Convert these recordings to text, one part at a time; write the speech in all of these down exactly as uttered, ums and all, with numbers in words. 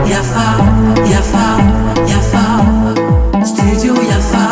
Yafa, Yafa, Yafa, Studio Yafa.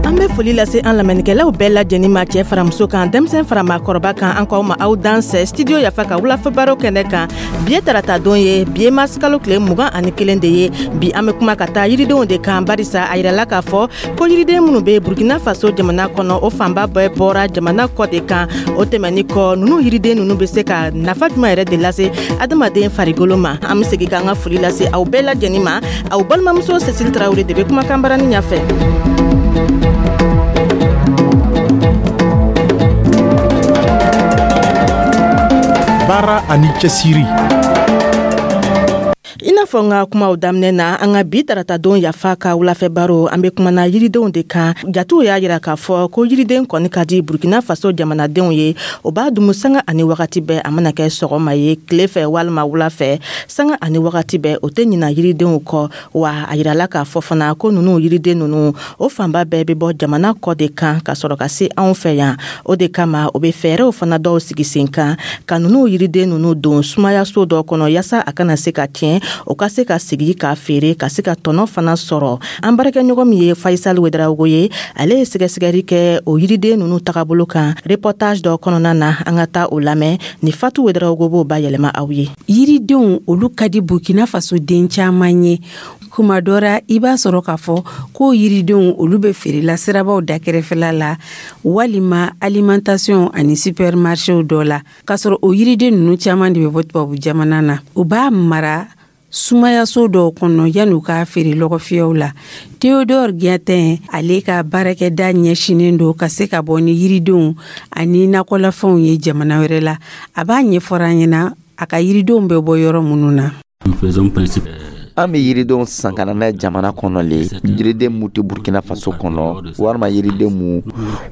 An bɛ foli lase an lamɛnnikɛlaw bɛɛ lajɛlen ma, cɛ faramuso kan, denmisɛn fara maakɔrɔba kan. An k'aw ma aw dansɛ Studio Yafa ka wulafɛ baro kɛnɛ kan. Bi ye tarata don ye, bi ye marisikalo tile mugan ani kelen de ye. Bi, an bɛ kuma ka taa yiridenw de kan, barisa a yirala k'a fɔ ko yiriden minnu bɛ Burkina Faso jamana kɔnɔ, o fanba bɛɛ bɔra jamana kɔ de kan. O tɛmɛni kɔ, ninnu yiriden ninnu bɛ se ka nafa jumɛn yɛrɛ de lase adamaden farikolo ma? An bɛ segin k'an ka foli lase aw bɛɛ lajɛlen ma. Aw balimamuso Cécile Tarawele de bɛ kumakan barani ɲɛfɛ. Baara ani cɛsiri. I n'a fɔ n ka kumaw daminɛ na, an ka bi taratadon Yafa ka wulafɛ baro, an be kumana yiridenw de kan. Jatiw y'a yira k'a fɔ ko yiriden kɔni ka di Burkina Faso jamanadenw ye. O b'a dumu sanga ani wagati bɛɛ, a mana kɛ sɔgɔma ye, tile fɛ walima wula fɛ, sanga ani wagati bɛɛ, o tɛ ɲina yiridenw kɔ. Wa a yirala k'a fɔ fana ko nunu yiriden nunu, o fanba bɛɛ be bɔ jamana kɔ de kan ka sɔrɔ ka se anw fɛ yan. O de kama, o be fɛɛrɛw fana dɔw sigi sen kan ka nunu yiriden nunu don sumayaso dɔ kɔnɔ, yaasa a kana se ka tiɲɛ, o ka se ka sigi k'a feere ka se ka tɔnɔ fana sɔrɔ. An baarakɛɲɔgɔn min ye Faisal Wedarawogo ye, ale ye sɛgɛsɛgɛli kɛ o yiriden nunu tagabolo kan reportage dɔ kɔnɔna na. An ka taa o lamɛn ni Fatu Wedarawogo b'o bayɛlɛma aw ye. Yiridenw, olu ka di Burkina Faso den caman ye. Kuma dɔ ra, i b'a sɔrɔ k'a fɔ ko yiridenw, olu bɛ feerela sirabaw da kɛrɛfɛla la walima alimentation ani supermarchéw dɔ la, k'a sɔrɔ o yiriden ninnu caman de bɛ bɔ tubabu jamana na. U b'a mara sumayaso dɔw kɔnɔ yan'u k'a feere lɔgɔfiyɛw la. Theodore Giatin, ale ka baarakɛda ɲɛsinen don ka se ka bɔ ni yiridenw ani nakɔlafɛnw ye jamana wɛrɛ la. A b'a ɲɛfɔra an ɲɛna a ka yiridenw bɛ bɔ yɔrɔ minnu na. An bɛ yiridenw san ka na n'a ye jamana kɔnɔ le. Yiriden mu tɛ Burkina Faso kɔnɔ, walima yiriden mu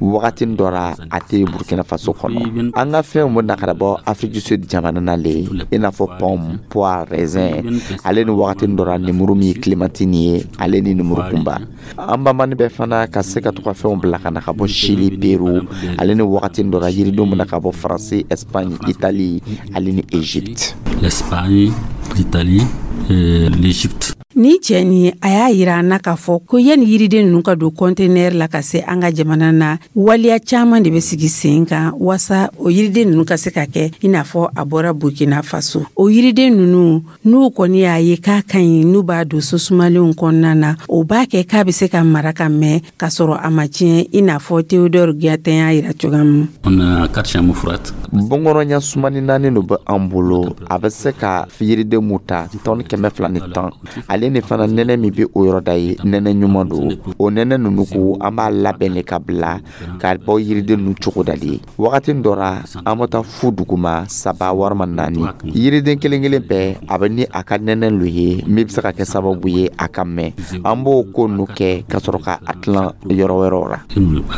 wagati dɔ ra a tɛ Burkina Faso kɔnɔ. An ka fɛnw bɛ na ka bɔ Afrique du Sud jamana na le, i n'a fɔ pomme, poire, raisin, ale ni wagati dɔ ra lemuru min ye clémentine ye, ale ni lemuru kunba. An banbani bɛ fana ka se ka to ka fɛnw bila ka na ka bɔ Chili, Peru, ale ni wagati dɔ ra yiridenw bɛ na ka bɔ Faransi, Espagne, Italie, ale ni Égypte. L'Espagne, l'Italie et l'Égypte. Ni cɛ nin, a y'a yira an na k'a fɔ ko yanni yiriden ninnu ka don kɔntenɛri la ka se an ka jamana na, waleya caman de bɛ sigi sen kan waasa o yiriden ninnu ka se ka kɛ i n'a fɔ a bɔra Burkina Faso. O yiriden ninnu, n'u kɔni y'a ye k'a ka ɲi, n'u b'a don so sumalenw kɔnɔna na, o b'a kɛ k'a bɛ se ka mara ka mɛn k'a sɔrɔ a ma tiɲɛ, i n'a fɔ Theodore Giatin y'a yira cogoya min. On a quatre chambres froides. Bɔnkɔrɔɲa sumani naani de bɛ an bolo. A bɛ se ka yiriden mu ta tɔni kɛmɛ fila ni tan. Ale ni fana, nɛnɛ min bɛ o yɔrɔ da ye, nɛnɛ ɲuman don. O nɛnɛ ninnu ko, an b'a labɛn de ka bila ka bɔ yiriden ninnu cogo da de ye. Wagati dɔ ra, an bɛ taa fu duguma saba walima naani. Yiriden kelen kelen bɛɛ, a bɛ ni a ka nɛnɛ lo ye min bɛ se ka kɛ sababu ye a ka mɛn. An b'o ko ninnu kɛ ka sɔrɔ ka a tilan yɔrɔ wɛrɛw la.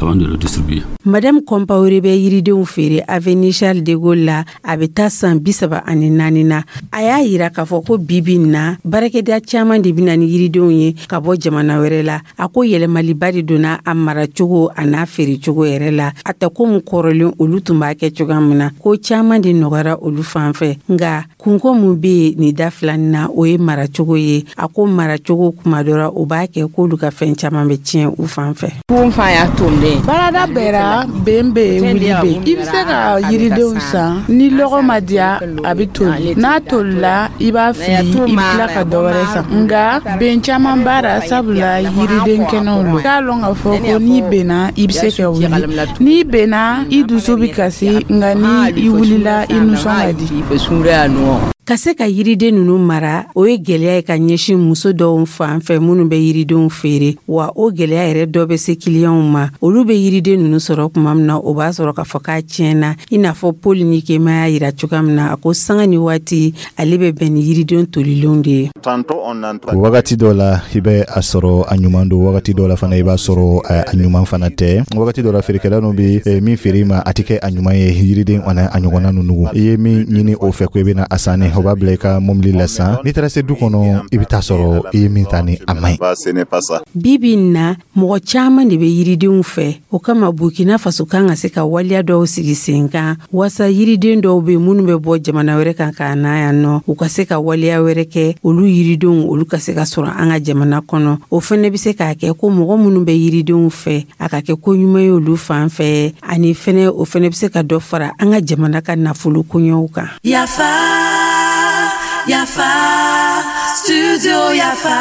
Avant de le distribuer. Madame Compaoré bɛ yiridenw feere avenue Charles de Gaulle la. A bɛ taa san bi saba ani naani na. A y'a yira k'a fɔ ko bibi in na, baarakɛda caman de bɛ na ni yiridenw ye ka bɔ jamana wɛrɛ la. A ko yɛlɛmaliba de donna a maracogo a n'a feerecogo yɛrɛ la. A tɛ komi kɔrɔlen olu tun b'a kɛ cogoya min na. Ko caman de nɔgɔyara olu fan fɛ, nka kunko mun bɛ yen nin da filanin na, o ye maracogo ye. A ko maracogo, kuma dɔ la, o b'a kɛ k'olu ka fɛn caman bɛ tiɲɛ u fan fɛ. Baarada bɛɛra ben bɛ yen, wuli bɛ yen. I bɛ se ka yiridenw san. Ni lɔgɔ ma diya, a bɛ toli. N'a tolila, i b'a fili, i bɛ tila ka dɔ wɛrɛ san. Nka ben caman b'a la, sabula yiriden kɛnɛw lo. K'a lɔn k'a fɔ ko n'i benna, i bɛ se ka wuli. N'i benna, i dusu bɛ kasi, nka ni i wulila, i nisɔn ka di. Ka se ka yiriden ninnu mara, o ye gwɛlɛya ye ka ɲɛsin muso dɔw fan fɛ minnu bɛ yiridenw feere. Wa o gwɛlɛya yɛrɛ dɔ bɛ se kiliyanw ma. Olu bɛ yiriden ninnu sɔrɔ tuma min na, o b'a sɔrɔ k'a fɔ k'a tiɲɛna, i n'a fɔ Paul Nikema y'a yira cogoya min na. A ko sanga ni waati, ale bɛ bɛn ni yiriden tolilenw de ye. Wagati dɔ la, i bɛ a sɔrɔ a ɲuman don. Wagati dɔ la fana, i b'a sɔrɔ a ɲuman fana tɛ. Wagati dɔ la, feerekɛla ninnu bɛ min feere i ma, a tɛ kɛ a ɲuman ye. Yiriden ani a ɲɔgɔnna ninnu, i ye min ɲini o fɛ ko i bɛna a san. o b'a bila i ka mobili la san. N'i taara se du kɔnɔ, i bɛ taa sɔrɔ i ye min ta ni a man ɲi. Bi bi in na, mɔgɔ caman de bɛ yiridenw fɛ. O kama, Burkina Faso kan ka se ka waleya dɔw sigi sen kan waasa yiriden dɔw bɛ minnu bɛ bɔ jamana wɛrɛ kan ka na yan nɔ, u ka se ka waleya wɛrɛ kɛ, olu yiridenw olu ka se ka sɔrɔ an ka jamana kɔnɔ. O fɛnɛ bɛ se k'a kɛ ko mɔgɔ minnu bɛ yiridenw fɛ, a ka kɛ ko ɲuman ye olu fan fɛ, ani fɛnɛ o fɛnɛ bɛ se ka dɔ fara an ka jamana ka nafolo koɲɛw kan. Yafa, Yafa, Studio Yafa.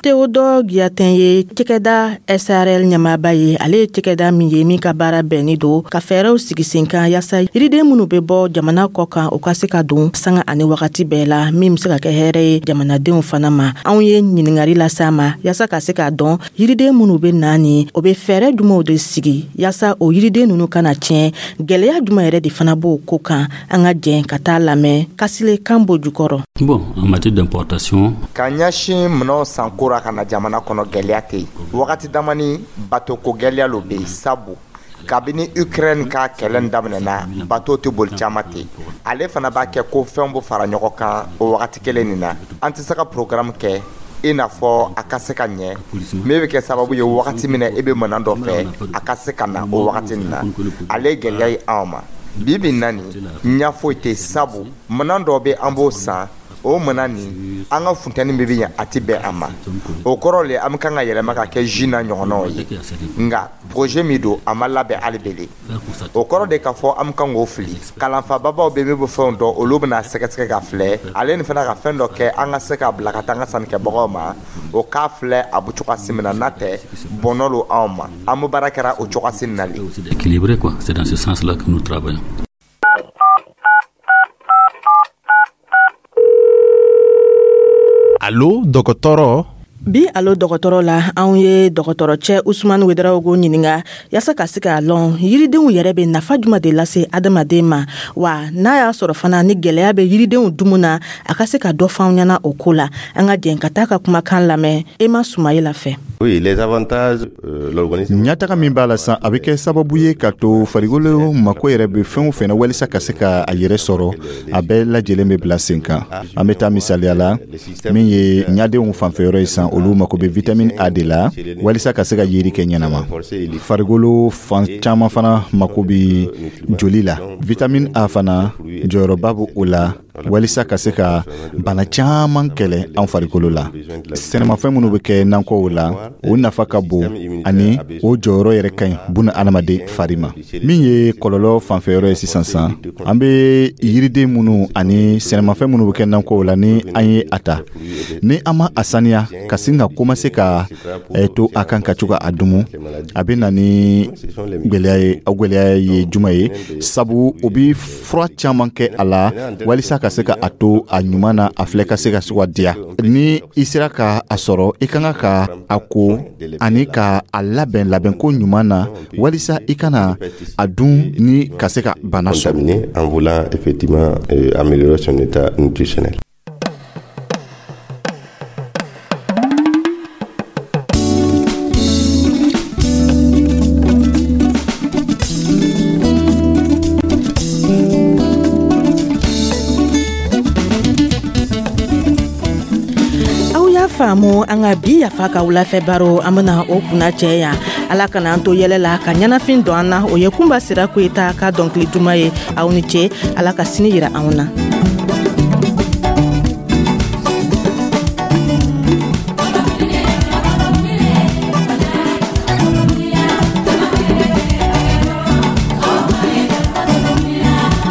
Théodore Guyatin ye cɛkɛda S R L ɲɛmaaba ye. Ale ye cɛkɛda min ye min ka baara bɛnni don ka fɛɛrɛw sigi sen kan yaasa yiriden minnu bɛ bɔ jamana kɔ kan, u ka se ka don sanga ani wagati bɛɛ la, min bɛ se ka kɛ hɛrɛ ye jamanadenw fana ma. Anw ye ɲiningari lase a ma yaasa ka se k'a dɔn yiriden minnu bɛ na ni o bɛ fɛɛrɛ jumɛnw de sigi yaasa o yiriden ninnu kana tiɲɛ, gɛlɛya jumɛn yɛrɛ de fana b'o ko kan. An ka jɛn ka taa lamɛn Kasile Kanbo jukɔrɔ. Bon, en matière d'importation, Ka ɲɛsin minɛnw sanko ra ka na jamana kɔnɔ, gwɛlɛya tɛ yen. Wagati damani bato ko gwɛlɛya lo bɛ yen, sabu kabini Ukraine ka kɛlɛ nin daminɛna, bato tɛ boli caman ten. Ale fana b'a kɛ ko fɛnw bɛ fara ɲɔgɔn kan o wagati kelen nin na. An tɛ se ka programme kɛ i n'a fɔ a ka se ka ɲɛ min bɛ kɛ sababu ye wagati min na e bɛ minɛn dɔ fɛ, a ka se ka na o wagati nin na. Ale ye gɛlɛya ye anw ma bi bi in na. Nin ɲɛ foyi tɛ, sabu minɛn dɔw bɛ, an b'o san, o minɛn nin, an ka funtɛni min bɛ yen, a tɛ bɛn a ma. O kɔrɔ le, an bɛ kan ka yɛlɛma ka kɛ jus n'a ɲɔgɔnnaw ye. Nka projet min don, a ma labɛn hali bele. O kɔrɔ de k'a fɔ an bɛ kan k'o fili. Kalanfababaw bɛ min bɛ fɛnw dɔn, olu bɛna sɛgɛsɛgɛ ka filɛ ale ni fana ka fɛn dɔ kɛ, an ka se k'a bila ka taa an ka sannikɛbagaw ma, o k'a filɛ a bɛ cogoya min na. N'a tɛ bɔnɔ lo anw ma, an bɛ baara kɛra o cogoya nin na le. C'est équilibré, quoi. C'est dans ce sens-là que nous travaillons. Alo dɔgɔtɔrɔ. Bi alo dɔgɔtɔrɔ la, anw ye dɔgɔtɔrɔcɛ Usumani Wedarawogo ɲininga yaasa ka se k'a lɔn yiridenw yɛrɛ bɛ nafa juma de lase adamaden ma, wa n'a y'a sɔrɔ fana ni gwɛlɛya bɛ yiridenw dumu na, a ka se ka dɔ fɔ anw ɲɛna o ko la. An ka jɛn ka taa ka kumakan lamɛn Ema Sumayila fɛ. Oui, les avantages, euh, l'organisme. Ɲɛtaga min b'a la san, a bɛ kɛ sababu ye ka to farikolo mako yɛrɛ bɛ fɛn o fɛn na walisa ka se ka a yɛrɛ sɔrɔ, a bɛɛ lajɛlen bɛ bila sen kan. An bɛ taa misaliya la, min ye ɲadenw fanfɛyɔrɔ ye san, olu mako bɛ vitamine A de la walisa ka se ka yeri kɛ ɲɛnama. Farikolo fan caman fana mako bɛ joli la. Vitamine A fana jɔyɔrɔba bɛ o la walisa ka se ka bana caman kɛlɛ an farikolo la. Sɛnɛmafɛn minnu bɛ kɛ nakɔw la, o nafa ka bon ani o jɔyɔrɔ yɛrɛ ka ɲi buna adamaden fari ma. Min ye kɔlɔlɔ fanfɛyɔrɔ ye sisan san, an bɛ yiriden minnu ani sɛnɛmafɛn minnu bɛ kɛ nakɔw la, ni an ye a ta, ni an ma a saniya ka sin ka commencer ka eh, to a kan ka to ka a dumu, a bɛ na ni gwɛlɛya ye. O gwɛlɛya ye juma ye? Sabu o bi fura caman kɛ a la walisa ka se ka a to a ɲuman na, a filɛ ka se ka se ka diya. Ni i sera ka a sɔrɔ, i ka kan ka a ko ani ka a labɛn labɛnko ɲuman na walisa i kana a dun ni ka se ka bana sɔrɔ. Contaminé en voulant effectivement euh, améliorer son état nutritionnel. Aw y'a faamu, an ka bi Yafa ka wulafɛ baro, an bena o kunna cɛ yan. Ala kana an to yɛlɛ la ka ɲɛnafin don an na. O ye Kunba Sira Koyita ka dɔnkili duman ye. Aw ni ce, Ala ka sini yira anw na.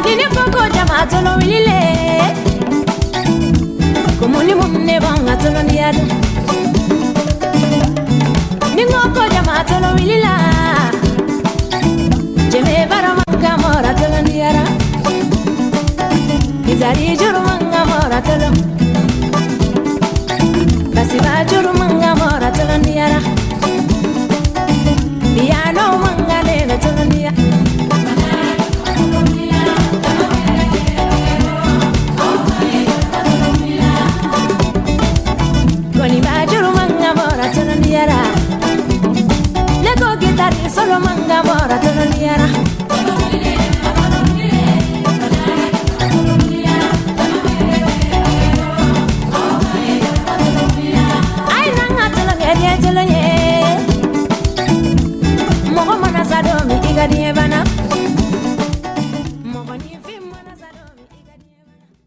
Ni ne ko ko jama tɔlɔ wulile ko mun ni mun ne b'an ka tɔlɔniya dɔn. Ni n ko ko jama tɔlɔ wulila jɛmɛ barama ka mɔra tɔlɔniyara. Izari.